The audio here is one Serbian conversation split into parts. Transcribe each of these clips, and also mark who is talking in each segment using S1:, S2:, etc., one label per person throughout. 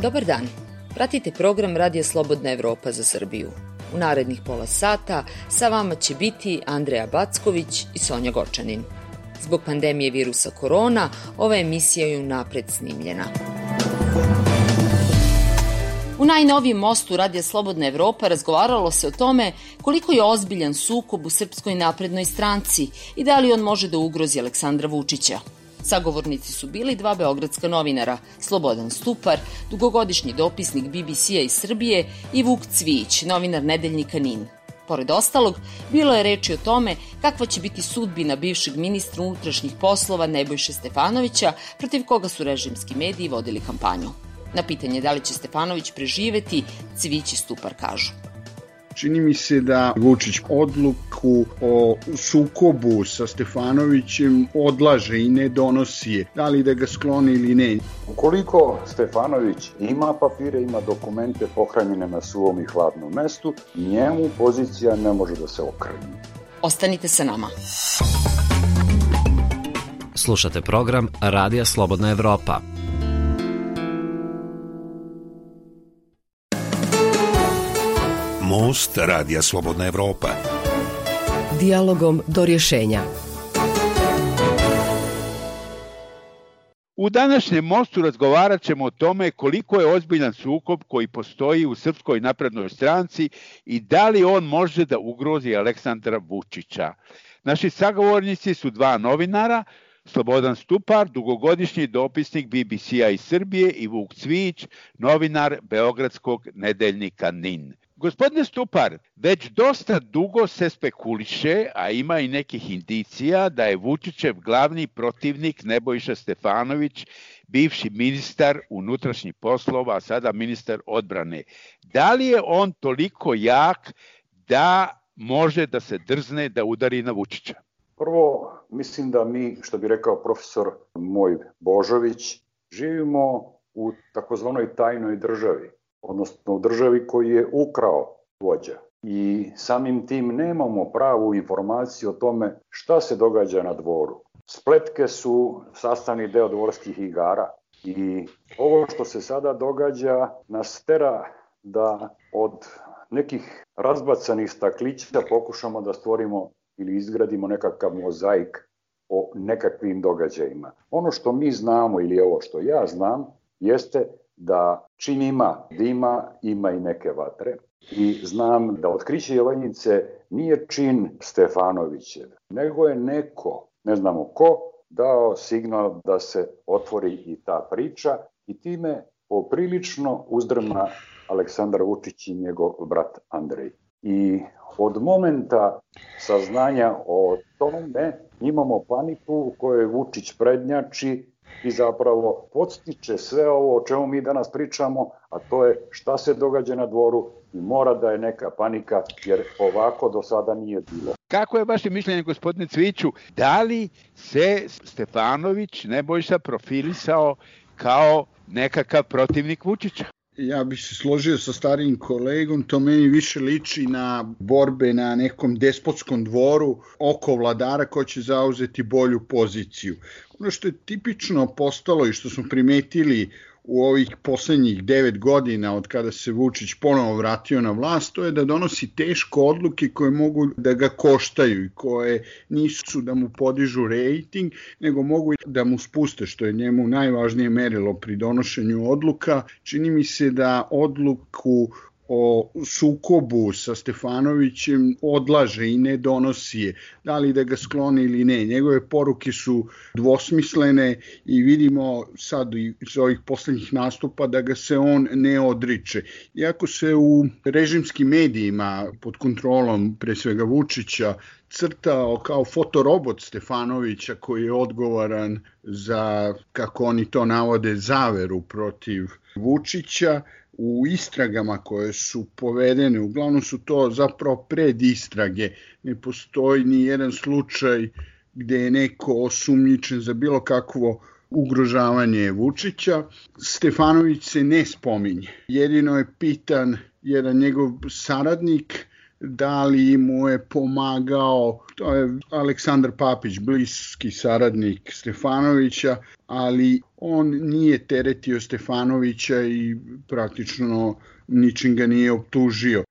S1: Dobar dan, pratite program Radija Slobodna Evropa za Srbiju. U narednih pola sata sa vama će biti Andreja Backović i Sonja Gočanin. Zbog pandemije virusa korona, ova emisija je unapred snimljena. U najnovijem mostu Radija Slobodna Evropa razgovaralo se o tome koliko je ozbiljan sukob u Srpskoj naprednoj stranci i da li on može da ugrozi Aleksandra Vučića. Sagovornici su bili dva beogradska novinara, Slobodan Stupar, dugogodišnji dopisnik BBC-a iz Srbije, i Vuk Cvijić, novinar nedeljnika NIN. Pored ostalog, bilo je reči o tome kakva će biti sudbina bivšeg ministra unutrašnjih poslova Nebojše Stefanovića, protiv koga su režimski mediji vodili kampanju. Na pitanje da li će Stefanović preživeti, Cvijić i Stupar kažu:
S2: čini mi se da Vučić odluku o sukobu sa Stefanovićem odlaže i ne donosi je, da li da ga skloni ili ne.
S3: Ukoliko Stefanović ima papire, ima dokumente pohranjene na suvom i hladnom mestu, njemu pozicija ne može da se okrnji.
S1: Ostanite sa nama.
S4: Slušate program Radija Slobodna Evropa.
S5: Most Radija Slobodna Evropa.
S6: Dijalogom do rješenja.
S7: U današnjem mostu razgovarat ćemo o tome koliko je ozbiljan sukob koji postoji u Srpskoj naprednoj stranci i da li on može da ugrozi Aleksandra Vučića. Naši sagovornici su dva novinara, Slobodan Stupar, dugogodišnji dopisnik BBC-a iz Srbije, i Vuk Cvijić, novinar beogradskog nedeljnika NIN. Gospodine Stupar, već dosta dugo se spekuliše, a ima i nekih indicija da je Vučićev glavni protivnik Nebojša Stefanović, bivši ministar unutrašnjih poslova, a sada ministar odbrane. Da li je on toliko jak da može da se drzne da udari na Vučića?
S3: Prvo, mislim da mi, što bi rekao profesor moj Božović, živimo u takozvanoj tajnoj državi, odnosno u državi koji je ukrao vođa. I samim tim nemamo pravu informaciju o tome šta se događa na dvoru. Spletke su sastavni deo dvorskih igara i ovo što se sada događa nas tera da od nekih razbacanih staklića pokušamo da stvorimo ili izgradimo nekakav mozaik o nekakvim događajima. Ono što mi znamo, ili ovo što ja znam, jeste da čim ima dima, ima i neke vatre. I znam da otkriće Jovanjice nije čin Stefanovićev, nego je neko, ne znamo ko, dao signal da se otvori i ta priča i time poprilično uzdrma Aleksandar Vučić i njegov brat Andrej. I od momenta saznanja o tome imamo paniku u kojoj Vučić prednjači i zapravo podstiče sve ovo o čemu mi danas pričamo, a to je šta se događa na dvoru i mora da je neka panika, jer ovako do sada nije bilo.
S7: Kako je vaše mišljenje, gospodine Cvijiću, da li se Stefanović Nebojša profilisao kao nekakav protivnik Vučića?
S2: Ja bih se složio sa starijim kolegom, to meni više liči na borbe na nekom despotskom dvoru oko vladara ko će zauzeti bolju poziciju. Ono što je tipično postalo i što smo primetili u ovih poslednjih 9 godina od kada se Vučić ponovo vratio na vlast, to je da donosi teške odluke koje mogu da ga koštaju i koje nisu da mu podižu rejting, nego mogu da mu spuste, što je njemu najvažnije merilo pri donošenju odluka. Čini mi se da odluku o sukobu sa Stefanovićem odlaže i ne donosi je, da li da ga skloni ili ne. Njegove poruke su dvosmislene i vidimo sad iz ovih poslednjih nastupa da ga se on ne odriče. Iako se u režimskim medijima pod kontrolom pre svega Vučića crtao kao fotorobot Stefanovića koji je odgovoran za, kako oni to navode, zaveru protiv Vučića, u istragama koje su povedene, uglavnom su to zapravo predistrage, ne postoji ni jedan slučaj gde je neko osumnjičen za bilo kakvo ugrožavanje Vučića. Stefanović se ne spominje. Jedino je pitan jedan njegov saradnik da li mu je pomagao, to je Aleksandar Papić, bliski saradnik Stefanovića, ali on nije teretio Stefanovića i praktično ničim ga nije optužio.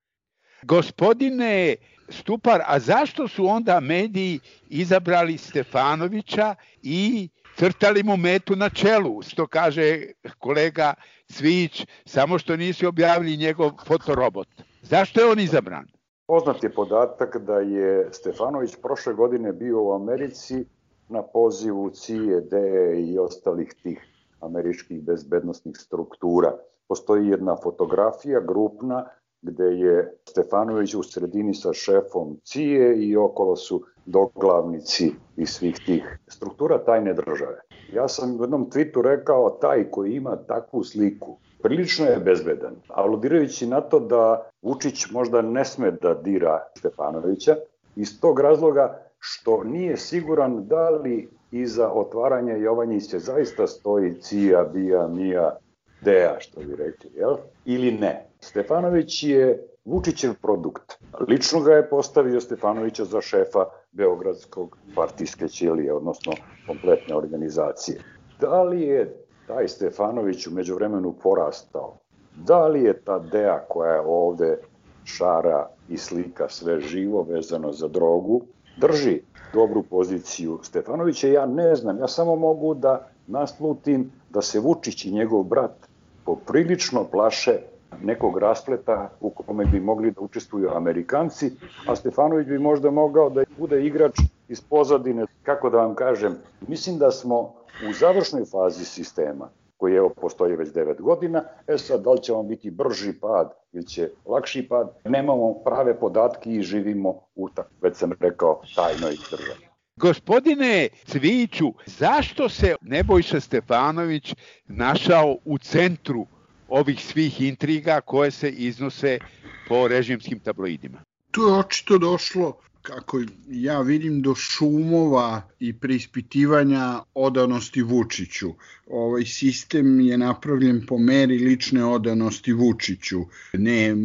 S7: Gospodine Stupar, a zašto su onda mediji izabrali Stefanovića i crtali mu metu na čelu, što kaže kolega Cvijić, samo što nisu objavili njegov fotorobot? Zašto je on izabran?
S3: Poznat je podatak da je Stefanović prošle godine bio u Americi na pozivu CIA, DE i ostalih tih američkih bezbednosnih struktura. Postoji jedna fotografija grupna gde je Stefanović u sredini sa šefom CIA i okolo su doglavnici iz svih tih struktura tajne države. Ja sam u jednom tweetu rekao, taj koji ima takvu sliku prilično je bezbedan, aludirajući na to da Vučić možda ne sme da dira Stefanovića iz tog razloga što nije siguran da li iza otvaranja Jovanjića zaista stoji CIA, BIA, MIA, DEA, što bi rekli, jel? Ili ne. Stefanović je Vučićev produkt. Lično ga je postavio Stefanovića za šefa Beogradskog partijske ćelije, odnosno kompletne organizacije. Da li je taj Stefanović u međuvremenu porastao? Da li je ta DEA koja je ovde šara i slika sve živo vezano za drogu, drži dobru poziciju Stefanovića? Ja ne znam, ja samo mogu da naslutim da se Vučić i njegov brat poprilično plaše nekog raspleta u kome bi mogli da učestvuju Amerikanci, a Stefanović bi možda mogao da bude igrač iz pozadine. Kako da vam kažem, mislim da smo u završnoj fazi sistema, koji postoji već 9 godina, sad da li će vam biti brži pad ili će lakši pad, nemamo prave podatke i živimo u, već sam rekao, tajnoj državi.
S7: Gospodine Cvijiću, zašto se Nebojša Stefanović našao u centru ovih svih intriga koje se iznose po režimskim tabloidima?
S2: Tu je očito došlo, kako ja vidim, do šumova i preispitivanja odanosti Vučiću. Ovaj sistem je napravljen po meri lične odanosti Vučiću, ne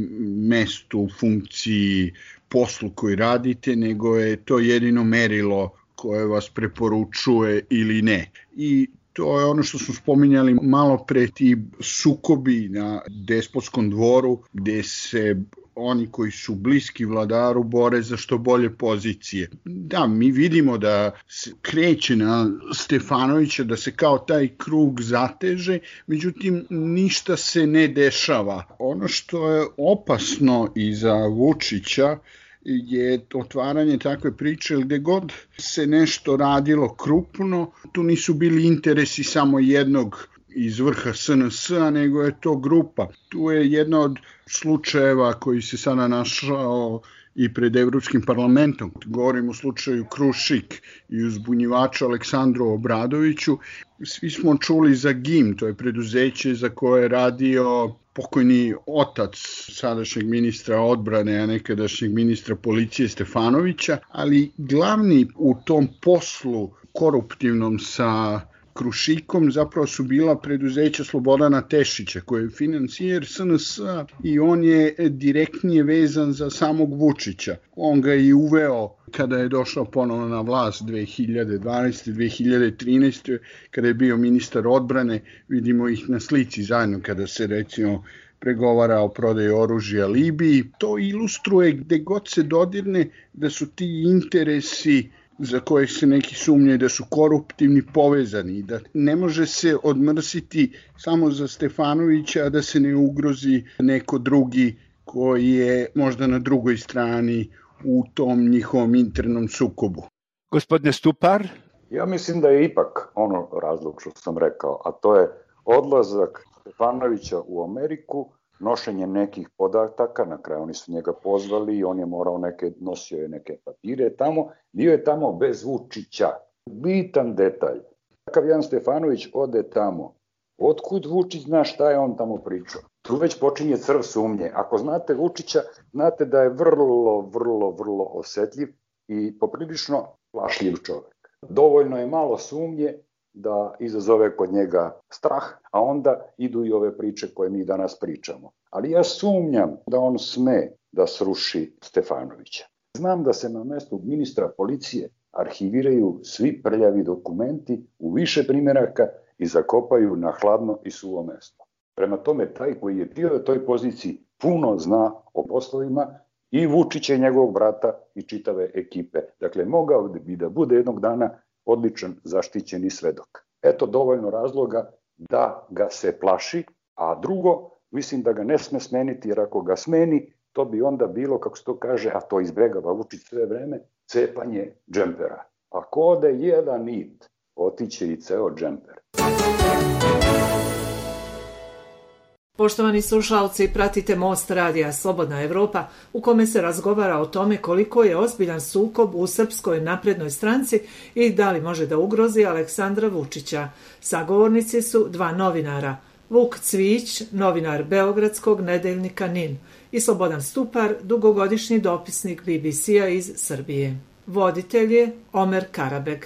S2: mestu, funkciji, poslu koji radite, nego je to jedino merilo koje vas preporučuje ili ne. I to je ono što smo spominjali malo pre, ti sukobi na despotskom dvoru, gde se oni koji su bliski vladaru bore za što bolje pozicije. Da, mi vidimo da se kreće na Stefanovića, da se kao taj krug zateže, međutim ništa se ne dešava. Ono što je opasno i za Vučića je otvaranje takve priče, gde god se nešto radilo krupno, tu nisu bili interesi samo jednog iz vrha SNS-a, nego je to grupa. Tu je jedna od slučajeva koji se sada našao i pred Evropskim parlamentom. Govorim o slučaju Krušik i uzbunjivača Aleksandru Obradoviću. Svi smo čuli za GIM, to je preduzeće za koje je radio pokojni otac sadašnjeg ministra odbrane, a nekadašnjeg ministra policije Stefanovića, ali glavni u tom poslu koruptivnom sa Krušikom zapravo su bila preduzeća Slobodana Tešića, koji je financijer SNS-a i on je direktnije vezan za samog Vučića. On ga je uveo kada je došao ponovno na vlast 2012. 2013. kada je bio ministar odbrane. Vidimo ih na slici zajedno kada se recimo pregovara o prodaji oružja Libiji. To ilustruje gde god se dodirne da su ti interesi za koje se neki sumnjaju da su koruptivni povezani, da ne može se odmrsiti samo za Stefanovića, a da se ne ugrozi neko drugi koji je možda na drugoj strani u tom njihovom internom sukobu.
S7: Gospodine Stupar?
S3: Ja mislim da je ipak ono razlog što sam rekao, a to je odlazak Stefanovića u Ameriku, nošenje nekih podataka, na kraju oni su njega pozvali i on je morao nosio je neke papire tamo, bio je tamo bez Vučića. Bitan detalj. Takav jedan Stefanović ode tamo. Otkud Vučić zna šta je on tamo pričao? Tu već počinje crv sumnje. Ako znate Vučića, znate da je vrlo osetljiv i poprilično plašljiv čovek. Dovoljno je malo sumnje da izazove kod njega strah, a onda idu i ove priče koje mi danas pričamo. Ali ja sumnjam da on sme da sruši Stefanovića. Znam da se na mestu ministra policije arhiviraju svi prljavi dokumenti u više primjeraka i zakopaju na hladno i suvo mesto. Prema tome, taj koji je bio na toj poziciji puno zna o poslovima i Vučića i njegovog brata i čitave ekipe. Dakle, mogao bi da bude jednog dana odličan zaštićeni svedok. Eto dovoljno razloga da ga se plaši, a drugo, mislim da ga ne sme smeniti, jer ako ga smeni, to bi onda bilo, kako se to kaže, a to izbegava Vučić sve vreme, cepanje džempera. Ako ode jedan nit, otiće i ceo džemper.
S8: Poštovani slušalci, pratite Most radija Slobodna Evropa, u kome se razgovara o tome koliko je ozbiljan sukob u Srpskoj naprednoj stranci i da li može da ugrozi Aleksandra Vučića. Sagovornici su dva novinara, Vuk Cvijić, novinar beogradskog nedeljnika NIN, i Slobodan Stupar, dugogodišnji dopisnik BBC-a iz Srbije. Voditelj je Omer Karabeg.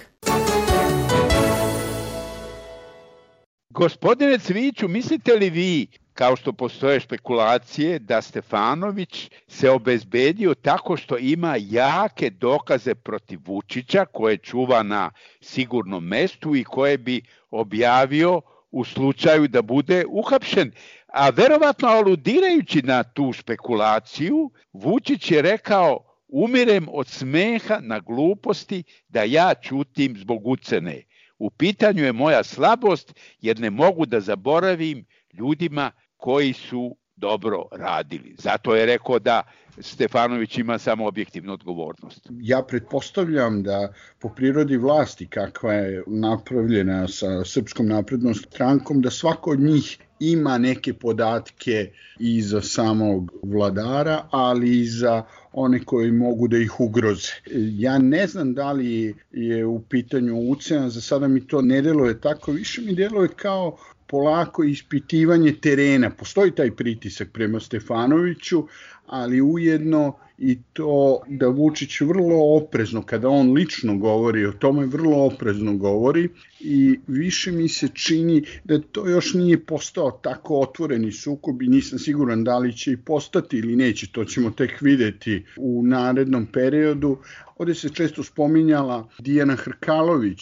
S7: Gospodine Cvijiću, mislite li vi, kao što postoje špekulacije, da Stefanović se obezbedio tako što ima jake dokaze protiv Vučića, koje čuva na sigurnom mestu i koje bi objavio u slučaju da bude uhapšen? A verovatno aludirajući na tu špekulaciju, Vučić je rekao: umirem od smeha na gluposti da ja ćutim zbog ucene. U pitanju je moja slabost, jer ne mogu da zaboravim ljudima koji su dobro radili. Zato je rekao da Stefanović ima samo objektivnu odgovornost.
S2: Ja pretpostavljam da po prirodi vlasti kakva je napravljena sa Srpskom naprednom strankom, da svako od njih ima neke podatke i za samog vladara, ali i za one koji mogu da ih ugroze. Ja ne znam da li je u pitanju ucena, za sada mi to ne deluje tako, više mi deluje kao polako ispitivanje terena. Postoji taj pritisak prema Stefanoviću, ali ujedno i to da Vučić vrlo oprezno, kada on lično govori o tome, vrlo oprezno govori i više mi se čini da to još nije postao tako otvoreni sukob i nisam siguran da li će i postati ili neće, to ćemo tek videti u narednom periodu. Ovdje se često spominjala Dijana Hrkalović,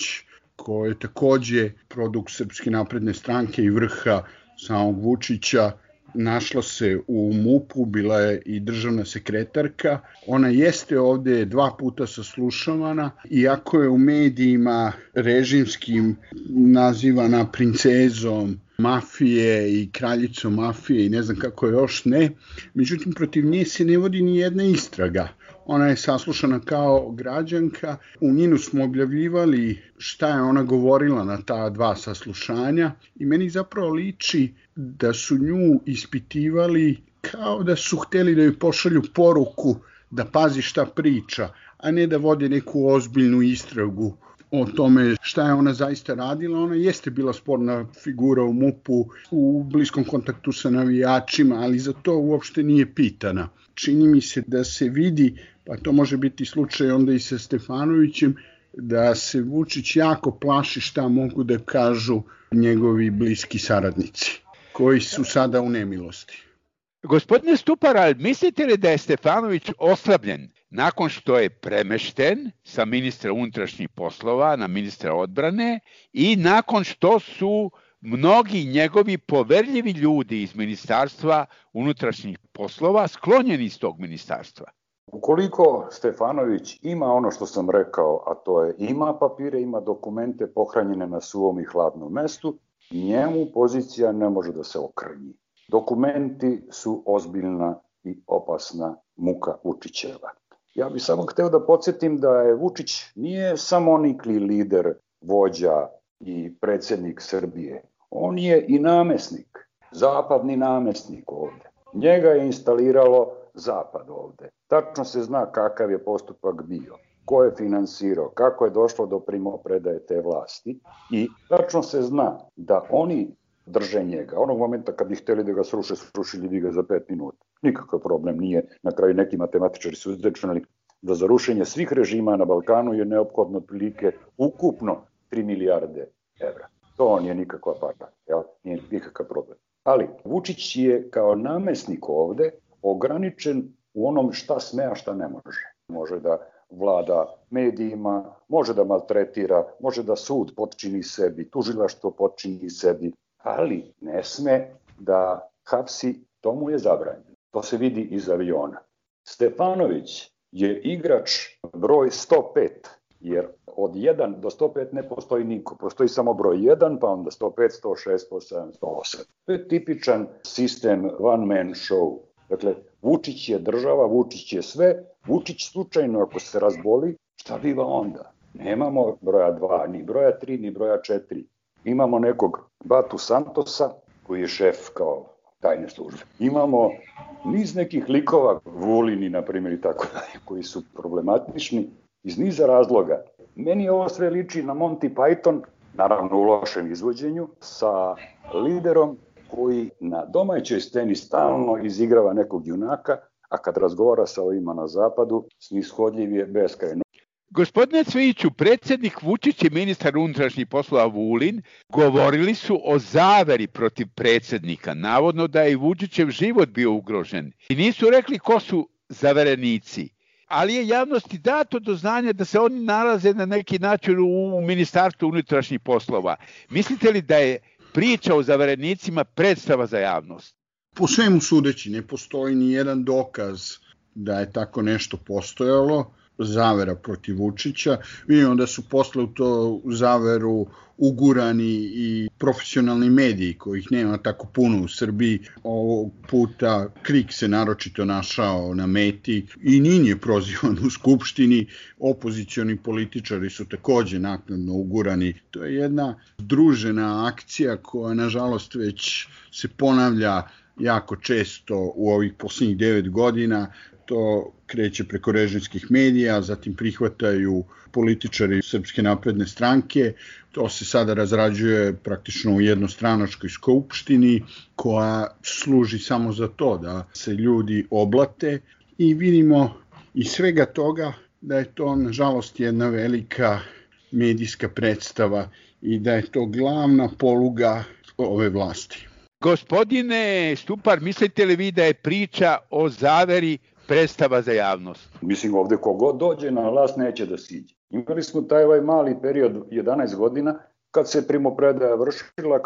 S2: koja je takođe produkt Srpske napredne stranke i vrha samog Vučića. Našla se u MUP-u, bila je i državna sekretarka. Ona jeste ovde 2 puta saslušavana, iako je u medijima režimskim nazivana princezom mafije i kraljicom mafije i ne znam kako još ne. Međutim, protiv nje se ne vodi ni jedna istraga. Ona je saslušana kao građanka. U NIN-u smo objavljivali šta je ona govorila na ta 2 saslušanja i meni zapravo liči da su nju ispitivali kao da su hteli da joj pošalju poruku da pazi šta priča, a ne da vode neku ozbiljnu istragu o tome šta je ona zaista radila. Ona jeste bila sporna figura u MUP-u, u bliskom kontaktu sa navijačima, ali za to uopšte nije pitana. Čini mi se da se vidi, pa to može biti slučaj onda i sa Stefanovićem, da se Vučić jako plaši šta mogu da kažu njegovi bliski saradnici, koji su sada u nemilosti.
S7: Gospodine Stupar, mislite li da je Stefanović oslabljen nakon što je premešten sa ministra unutrašnjih poslova na ministra odbrane i nakon što su mnogi njegovi poverljivi ljudi iz ministarstva unutrašnjih poslova sklonjeni iz tog ministarstva?
S3: Ukoliko Stefanović ima ono što sam rekao, a to je ima papire, ima dokumente pohranjene na suvom i hladnom mestu, njemu pozicija ne može da se okrnji. Dokumenti su ozbiljna i opasna muka Vučićeva. Ja bih samo hteo da podsjetim da je Vučić nije samonikli lider, vođa i predsjednik Srbije. On je i namesnik, zapadni namesnik ovde. Njega je instaliralo Zapad ovde. Tačno se zna kakav je postupak bio, ko je finansirao, kako je došlo do primopredaje te vlasti i tačno se zna da oni drže njega. Onog momenta kad bi hteli da ga sruše, srušili bi ga za 5 minuta. Nikakav problem nije. Na kraju neki matematičari su izračunali da za rušenje svih režima na Balkanu je neophodno otprilike ukupno 3 milijarde evra. To nije nikakva para, nije nikakav problem. Ali Vučić je kao namesnik ovde ograničen u onom šta sme, a šta ne može. Može da vlada medijima, može da maltretira, može da sud potčini sebi, tužilaštvo potčini sebi, ali ne sme da hapsi, to mu je zabranjeno. To se vidi iz aviona. Stefanović je igrač broj 105, jer od 1 do 105 ne postoji niko. Postoji samo broj 1, pa onda 105, 106, 107, 108. To je tipičan sistem one man show. Dakle, Vučić je država, Vučić je sve. Vučić slučajno ako se razboli, šta biva onda? Nemamo broja 2, ni broja 3, ni broja 4. Imamo nekog Batu Santosa, koji je šef kao tajne službe. Imamo niz nekih likova, Vulini, na primjer, i tako dalje, koji su problematični iz niza razloga. Meni ovo sve liči na Monty Python, naravno u lošem izvođenju, sa liderom koji na domaćoj sceni stalno izigrava nekog junaka, a kad razgovara sa ovima na zapadu, snishodljiv je beskrajno.
S7: Gospodine Cvijiću, predsjednik Vučić i ministar unutrašnjih poslova Vulin govorili su o zaveri protiv predsjednika, navodno da je i Vučićev život bio ugrožen. I nisu rekli ko su zaverenici, ali je javnosti dato do znanja da se oni nalaze na neki način u Ministarstvu unutrašnjih poslova. Mislite li da je priča o zaverenicima predstava za javnost?
S2: Po svemu sudeći, ne postoji ni jedan dokaz da je tako nešto postojalo, zavera protiv Vučića. Vidimo da su posle u to zaveru ugurani i profesionalni mediji, kojih nema tako puno u Srbiji. Ovog puta KRIK se naročito našao na meti i Nin je prozivan u Skupštini. Opozicioni političari su takođe naknadno ugurani. To je jedna združena akcija koja nažalost već se ponavlja jako često u ovih posljednjih 9 godina. To kreće preko režimskih medija, zatim prihvataju političari Srpske napredne stranke. To se sada razrađuje praktično u jednostranačkoj skupštini koja služi samo za to da se ljudi oblate i vidimo iz svega toga da je to nažalost jedna velika medijska predstava i da je to glavna poluga ove vlasti.
S7: Gospodine Stupar, mislite li vi da je priča o zaveri predstava za javnost?
S3: Mislim, ovde kogod dođe na vlast neće da siđe. Imali smo taj mali period 11 godina kad se primopredaja vršila,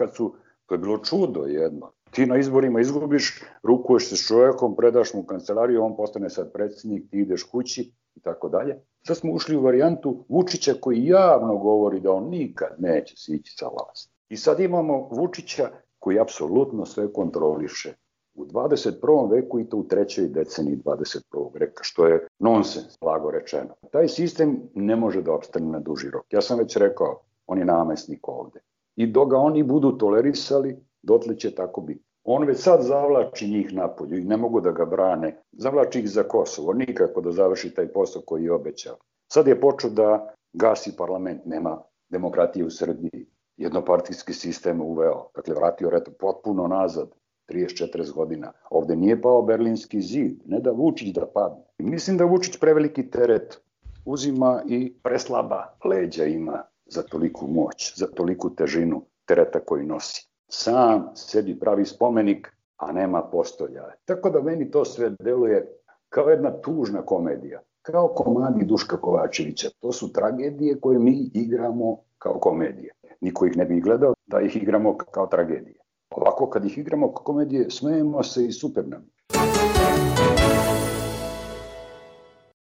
S3: to je bilo čudo jedno. Ti na izborima izgubiš, rukuješ se s čovjekom, predaš mu kancelariju, on postane sad predsjednik, ti ideš kući i tako dalje. Sad smo ušli u varijantu Vučića koji javno govori da on nikad neće sići sa vlast. I sad imamo Vučića koji apsolutno sve kontroliše. U 21. veku i to u 3. deceniji 21. veka, što je nonsens, blago rečeno. Taj sistem ne može da opstane na duži rok. Ja sam već rekao, on je namesnik ovde. I dok ga oni budu tolerisali, dotle će tako biti. On već sad zavlači njih napolju i ne mogu da ga brane. Zavlači ih za Kosovo, nikako da završi taj posao koji je obećao. Sad je počeo da gasi parlament, nema demokratije u Srbiji. Jednopartijski sistem uveo, dakle vratio potpuno nazad. 30-40 godina. Ovde nije pao Berlinski zid, ne da Vučić da padne. Mislim da Vučić preveliki teret uzima i preslaba leđa ima za toliku moć, za toliku težinu tereta koji nosi. Sam sebi pravi spomenik, a nema postolja. Tako da meni to sve deluje kao jedna tužna komedija, kao komadi Duška Kovačevića. To su tragedije koje mi igramo kao komedije. Niko ih ne bi gledao da ih igramo kao tragedije. Ovako, kad ih igramo komedije, smejemo se i super nam.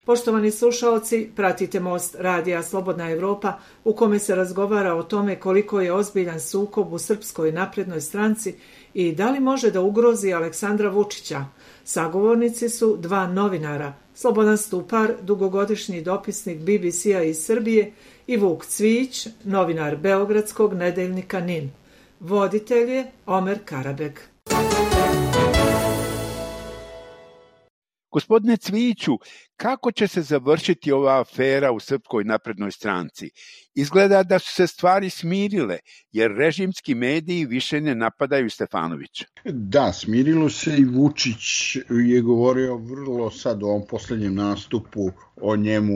S8: Poštovani slušaoci, pratite Most radija Slobodna Evropa u kome se razgovara o tome koliko je ozbiljan sukob u Srpskoj naprednoj stranci i da li može da ugrozi Aleksandra Vučića. Sagovornici su dva novinara, Slobodan Stupar, dugogodišnji dopisnik BBC-a iz Srbije i Vuk Cvijić, novinar beogradskog nedeljnika NIN. Voditelj je Omer Karabeg.
S7: Gospodine Cvijiću, kako će se završiti ova afera u Srpskoj naprednoj stranci? Izgleda da su se stvari smirile, jer režimski mediji više ne napadaju Stefanovića.
S2: Da, smirilo se i Vučić je govorio vrlo sad u ovom poslednjem nastupu o njemu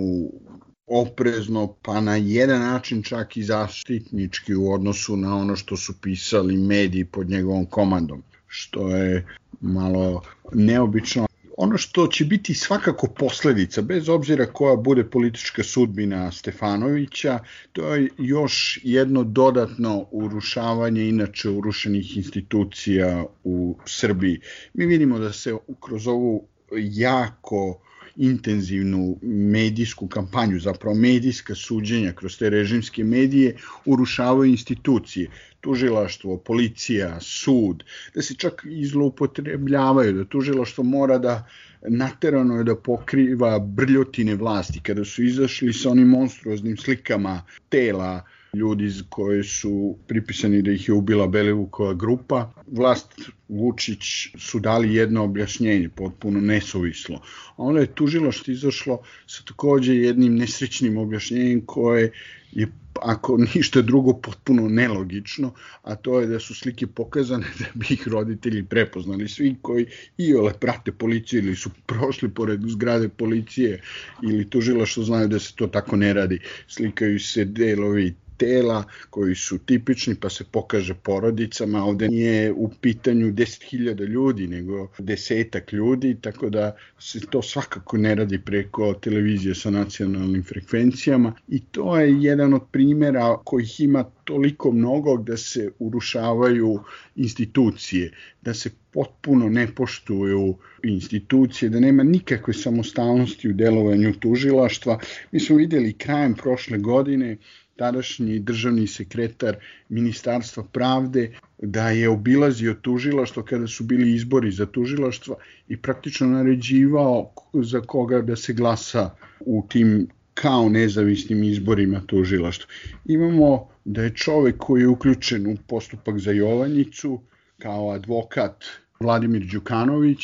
S2: oprezno, pa na jedan način čak i zaštitnički u odnosu na ono što su pisali mediji pod njegovom komandom, što je malo neobično. Ono što će biti svakako posledica, bez obzira koja bude politička sudbina Stefanovića, to je još jedno dodatno urušavanje inače urušenih institucija u Srbiji. Mi vidimo da se kroz ovu jako intenzivnu medijsku kampanju, zapravo medijska suđenja kroz te režimske medije urušavaju institucije, tužilaštvo, policija, sud, da se čak i zloupotrebljavaju, da tužilaštvo mora da naterano je da pokriva brljotine vlasti. Kada su izašli sa onim monstruoznim slikama tela ljudi koje su pripisani da ih je ubila Belivukova grupa, vlast Vučić su dali jedno objašnjenje, potpuno nesuvislo. A onda je tužilaštvo izašlo sa takođe jednim nesrećnim objašnjenjem koje je, ako ništa drugo, potpuno nelogično, a to je da su slike pokazane da bi ih roditelji prepoznali. Svi koji iole prate policiju ili su prošli pored zgrade policije ili tužilaštvo znaju da se to tako ne radi. Slikaju se delovi tela koji su tipični, pa se pokaže porodicama. Ovde nije u pitanju 10.000 ljudi, nego 10 ljudi, tako da se to svakako ne radi preko televizije sa nacionalnim frekvencijama i to je jedan od primjera kojih ima toliko mnogo da se urušavaju institucije, da se potpuno ne poštuju institucije, da nema nikakve samostalnosti u delovanju tužilaštva. Mi smo videli krajem prošle godine tadašnji državni sekretar Ministarstva pravde da je obilazio tužilaštvo kada su bili izbori za tužilaštvo i praktično naređivao za koga da se glasa u tim kao nezavisnim izborima tužilaštva. Imamo da je čovek koji je uključen u postupak za Jovanjicu kao advokat Vladimir Đukanović,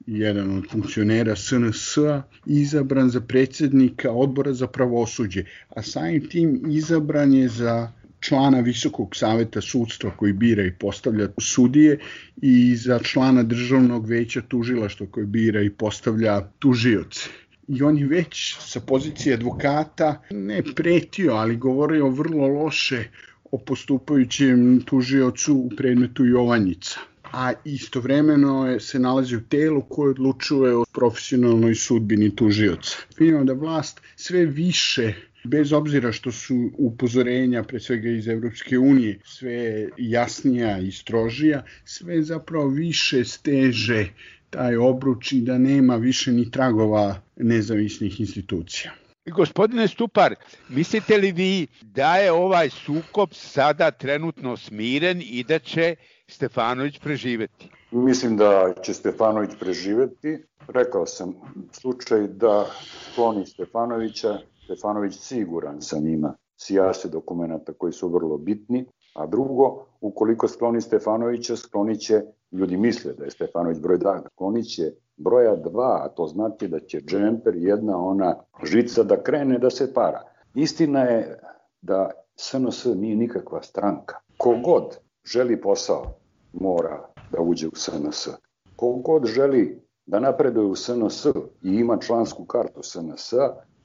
S2: jedan od funkcionera SNS-a, izabran za predsjednika odbora za pravosuđe, a samim tim izabran je za člana Visokog saveta sudstva koji bira i postavlja sudije i za člana Državnog veća tužilaštva koji bira i postavlja tužioce. I on je već sa pozicije advokata ne pretio, ali govorio vrlo loše o postupajućem tužiocu u predmetu Jovanjica. A istovremeno se nalazi u telu koje odlučuje o profesionalnoj sudbini tužioca. Vidimo da vlast sve više, bez obzira što su upozorenja, pre svega iz Evropske unije, sve jasnija i strožija, sve zapravo više steže taj obruč i da nema više ni tragova nezavisnih institucija.
S7: Gospodine Stupar, mislite li vi da je ovaj sukob sada trenutno smiren i da će Stefanović preživeti?
S3: Mislim da će Stefanović preživeti. Rekao sam slučaj da skloni Stefanovića. Stefanović siguran sam ima sijase dokumenta koji su vrlo bitni. A drugo, ukoliko skloni Stefanovića, sklonit će, ljudi misle da je Stefanović broj 2, sklonit će broja 2, a to znači da će džemper, jedna ona žica da krene da se para. Istina je da SNS nije nikakva stranka. Kogod želi posao, mora da uđe u SNS. Kogod želi da napreduje u SNS i ima člansku kartu SNS,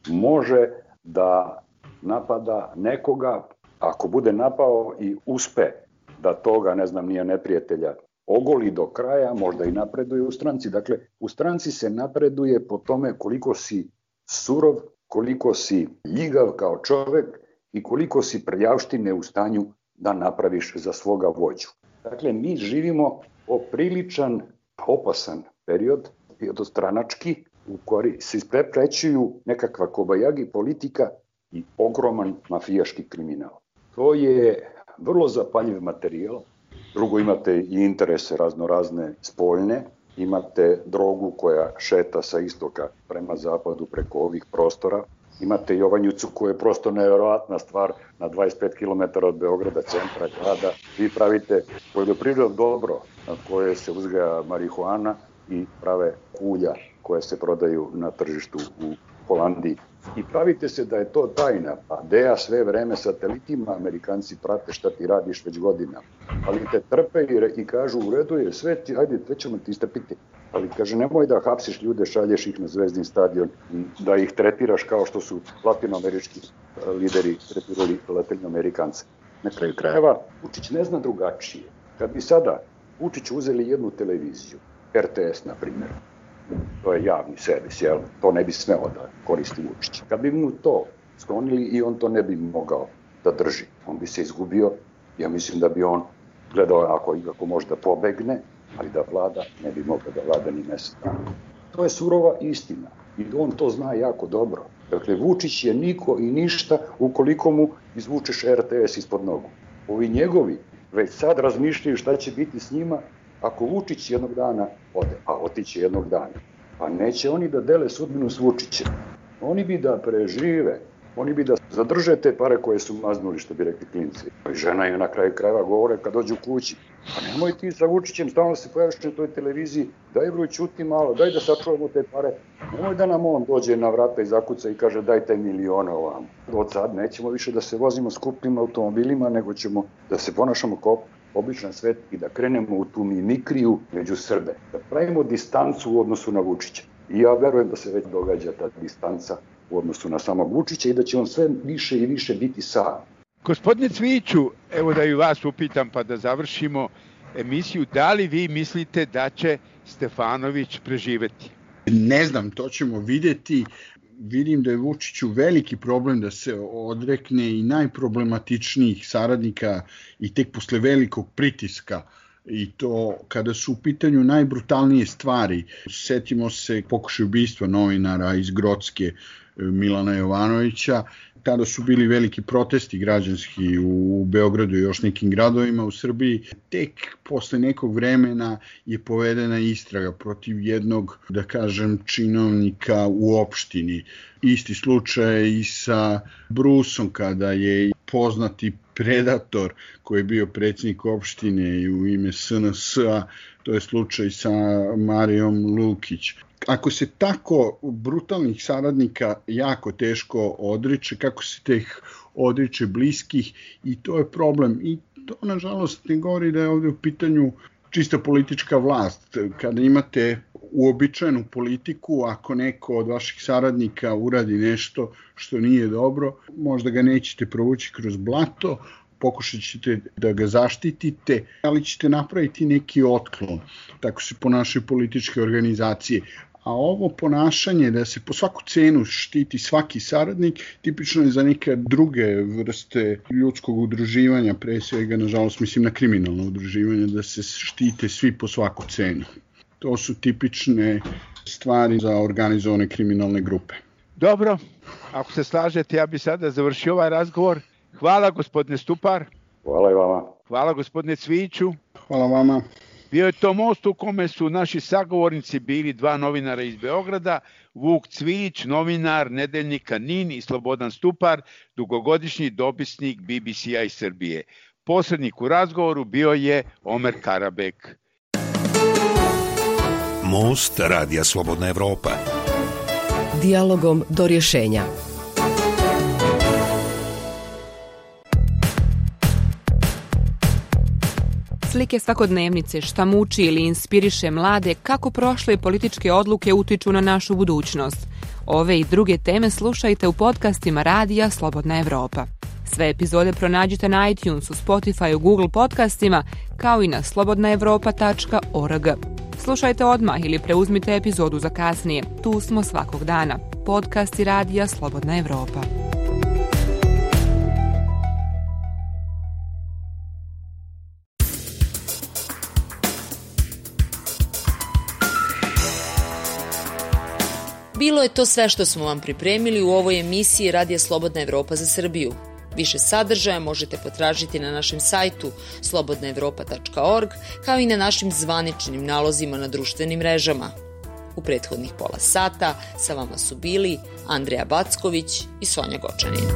S3: može da napada nekoga, ako bude napao i uspe da toga, ne znam, nije neprijatelja, ogoli do kraja, možda i napreduje u stranci. Dakle, u stranci se napreduje po tome koliko si surov, koliko si ljigav kao čovek i koliko si prljavštine u stanju da napraviš za svoga vođu. Dakle, mi živimo popriličan, opasan period, stranački, u koji se ispreprećuju nekakva kobajagi politika i ogroman mafijaški kriminal. To je vrlo zapaljiv materijal. Drugo, imate i interese raznorazne spoljne, imate drogu koja šeta sa istoka prema zapadu preko ovih prostora, imate Jovanjicu koja je prosto nevjerovatna stvar na 25 km od Beograda, centra grada. Vi pravite poljoprivredno dobro na koje se uzgaja marihuana i prave kulja koje se prodaju na tržištu u Holandiji. I pravite se da je to tajna, pa DEA sve vreme satelitima, Amerikanci prate šta ti radiš već godina. Ali te trpe i kažu u redu je sve, ajde, sve ćemo ti istrpiti. Ali kaže, nemoj da hapsiš ljude, šalješ ih na Zvezdin stadion, da ih tretiraš kao što su latinoamerički lideri tretirali latinoamerikance. Na kraju krajeva, Vučić ne zna drugačije. Kad bi sada Vučić uzeli jednu televiziju, RTS na primjer, To je javni servis, jel? To ne bi smeo da koristi Vučić. Kad bi mu to sklonili i on to ne bi mogao da drži. On bi se izgubio, ja mislim da bi on gledao ako može da pobegne, ali da vlada ne bi mogao da vlada ni mesec dana. To je surova istina i on to zna jako dobro. Dakle, Vučić je niko i ništa ukoliko mu izvučeš RTS ispod nogu. Ovi njegovi već sad razmišljaju šta će biti s njima ako Vučić jednog dana ode, a otiće jednog dana. Pa neće oni da dele sudbinu s Vučićem. Oni bi da prežive, oni bi da zadrže te pare koje su maznuli, što bi rekli klinci. I žena je na kraju krajeva govore kad dođu kući. Pa nemoj ti sa Vučićem stalno se pojaviš na toj televiziji, daj bro ćuti malo, daj da sačuvamo te pare. Nemoj da nam on dođe na vrata i zakuca i kaže daj taj milione ovamo. Od sad nećemo više da se vozimo skupnim automobilima, nego ćemo da se ponašamo kao običan svet i da krenemo u tu mimikriju među Srbe. Da pravimo distancu u odnosu na Vučića. I ja verujem da se već događa ta distanca u odnosu na samog Vučića i da će on sve više i više biti sam.
S7: Gospodine Cvijiću, evo da i vas upitam pa da završimo emisiju, da li vi mislite da će Stefanović preživeti?
S2: Ne znam, to ćemo vidjeti. Vidim da je Vučiću veliki problem da se odrekne i najproblematičnijih saradnika i tek posle velikog pritiska, i to kada su u pitanju najbrutalnije stvari. Setimo se pokušaj ubistva novinara iz Grocke Milana Jovanovića. Tada su bili veliki protesti građanski u Beogradu i još nekim gradovima u Srbiji. Tek posle nekog vremena je povedena istraga protiv jednog, da kažem, činovnika u opštini. Isti slučaj i sa Brusom, kada je poznati predator koji je bio predsjednik opštine i u ime SNS-a, to je slučaj sa Marijom Lukić. Ako se tako brutalnih saradnika jako teško odriče, kako se teh odriče bliskih, i to je problem. I to, nažalost, ne govori da je ovdje u pitanju čista politička vlast. Kada imate uobičajenu politiku, ako neko od vaših saradnika uradi nešto što nije dobro, možda ga nećete provući kroz blato, pokušat ćete da ga zaštitite, ali ćete napraviti neki otklon. Tako se ponašaju političke organizacije. A ovo ponašanje da se po svaku cenu štiti svaki saradnik, tipično je za neke druge vrste ljudskog udruživanja, pre svega, nažalost, mislim na kriminalno udruživanje, da se štite svi po svaku cenu. To su tipične stvari za organizovane kriminalne grupe.
S7: Dobro, ako se slažete, ja bih sada završio ovaj razgovor. Hvala, gospodine Stupar.
S3: Hvala i vama.
S7: Hvala, gospodine Cvijiću.
S2: Hvala vama.
S7: Bio je to most u kome su naši sagovornici bili dva novinara iz Beograda, Vuk Cvijić, novinar nedeljnika NIN, i Slobodan Stupar, dugogodišnji dopisnik BBC-a iz Srbije. Posrednik u razgovoru bio je Omer Karabek.
S5: Most Radija Slobodna Evropa.
S6: Dijalogom do rješenja.
S9: Slike svakodnevnice, šta muči ili inspiriše mlade, kako prošle političke odluke utiču na našu budućnost. Ove i druge teme slušajte u podcastima Radija Slobodna Evropa. Sve epizode pronađite na iTunesu, Spotify, Google podcastima, kao i na slobodnaevropa.org. Slušajte odmah ili preuzmite epizodu za kasnije. Tu smo svakog dana. Podcasti Radija Slobodna Evropa.
S1: Bilo je to sve što smo vam pripremili u ovoj emisiji Radija Slobodna Evropa za Srbiju. Više sadržaja možete potražiti na našem sajtu slobodnaevropa.org, kao i na našim zvaničnim nalozima na društvenim mrežama. U prethodnih pola sata sa vama su bili Andreja Backović i Sonja Gočanin.